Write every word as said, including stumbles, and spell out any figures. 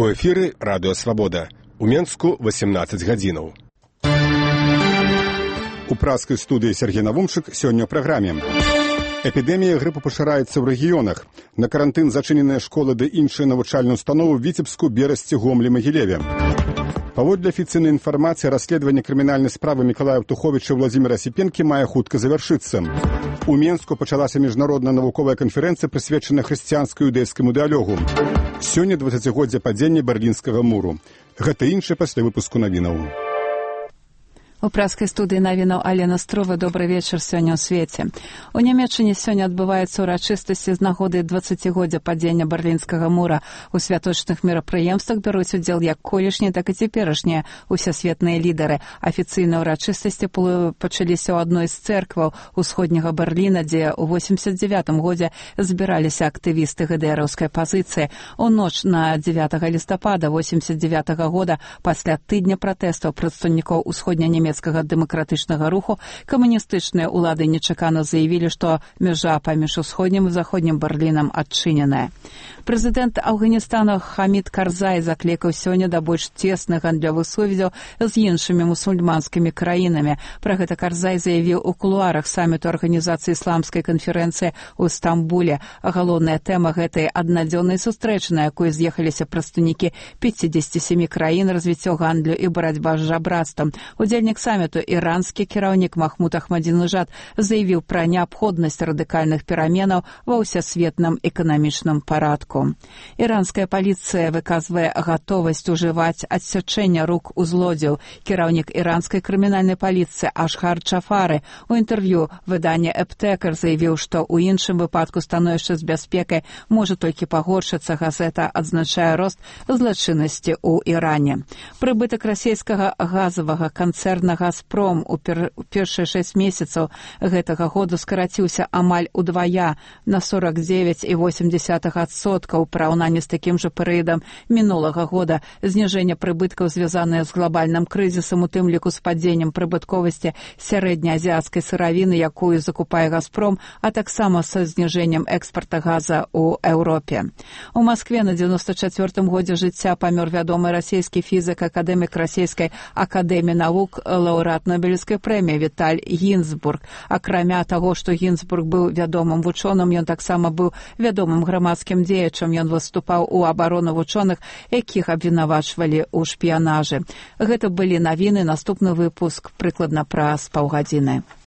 У эфіры радыё Свабода. У Менску васемнаццаць гадзінаў. У праскай студыі Сергей Навумчык сёння ў праграме. Эпідэмія грыпу пашыраецца ў рэгіёнах. На карантын зачыненыя школы ды іншыя навучальныя ўстановы ў Віцебску, Берасці, Гомлі, Магілеве. Паводле афіцыйнай інфармацыі, расследаванне крымінальнай справы Мікалая Птуховіча і Владзіміра Сіпенкі мае хутка завяршыцца. У Менску пачалася міжнародная навуковая канферэнцыя, прысвечаная хрысціянска-юдэйскаму дыялогу. Сёння дваццацігоддзе падзення Берлінскага муру. Гэта іншае пасля выпуску навінаў. У праскай студыі навінаў Алена Строва. Добры вечар сёння ў свеце. У Нямецчыне сёння адбываюцца ўрачыстасці з нагоды дваццацігоддзя падзення Берлінскага мура. У святочных мерапрыемствах бяруць удзел як колішнія, так і цяперашнія усесветныя лідары. Афіцыйныя ўрачыстасці пачаліся ў адной з цэркваў усходняга Берліна, дзе ў восемьдесят девятым годзе збіраліся актывісты ГДРаўскай пазіцыі. У ноч на дзевятага лістапада восемьдесят девятага года, пасля тыдня пратэстаў прадстаўнікоў усходня-нямецкага дэмакратычнага руху, камуністычныя ўлады нечакана заявілі, што мяжа паміж усходнім і заходнім Берлінам адчыненая. Прэзідэнт Афганістана Хамід Карзай заклікаў сёння да больш цесных гандлёвых сувязяў з іншымі мусульманскімі краінамі. Пра гэта Карзай заявіў у кулуарах саміту Арганізацыі ісламскай канферэнцыі ў Стамбуле. Галоўная тэма гэтай аднадзённай сустрэчы, на якой з'ехаліся прадстаўнікі пятьдесят семь краін, развіццё гандлю і барацьба з жабрацтвам. Удзельнік саміту, іранскі кіраўнік Махмуд Ахмадзінежад, заявіў пра неабходнасць радыкальных пераменаў ва ўсесветным эканамічным парадку. Іранская паліцыя выказвае гатовасць ужываць адсячэння рук у злодзеў. Кіраўнік іранскай крымінальнай паліцыі Ашхар Чафары у інтэрв'ю выдання Эптэкер заявіў, што ў іншым выпадку становішча з бяспекай можа толькі пагоршыцца. Газета адзначае рост злачыннасці ў Іране. Прыбытак расійскага газавага канцэрна «Газпром» у пер... першыя шэсць месяцаў гэтага году скараціўся амаль удвая, на сорок девять і восемь десятых адсотка ў параўнанні з такім жа перыядам мінулага года. Зніжэнне прыбыткаў звязанае з глобальным крызісам, у тым ліку з падзеннем прыбытковасці сярэднеазіяцкай сыравіны, якую закупае «Газпром», а таксама са зніжэннем экспарта газа ў Еўропе. У Маскве на дзевяносто чацвёртым годзе жыцця памёр вядомы расійскі фізік, акадэмік расійскай акадэміі навук, лаўрэат Нобелевскай прэміі Віталь Гінзбург. Акрамя таго, што Гінзбург быў вядомым вучоным, ён таксама быў вядомым грамадскім дзеячам. Ён выступаў у абарону вучоных, якіх абвінавачвалі ў шпіянажы. Гэта былі навіны. Наступны выпуск прыкладна праз паўгадзіны.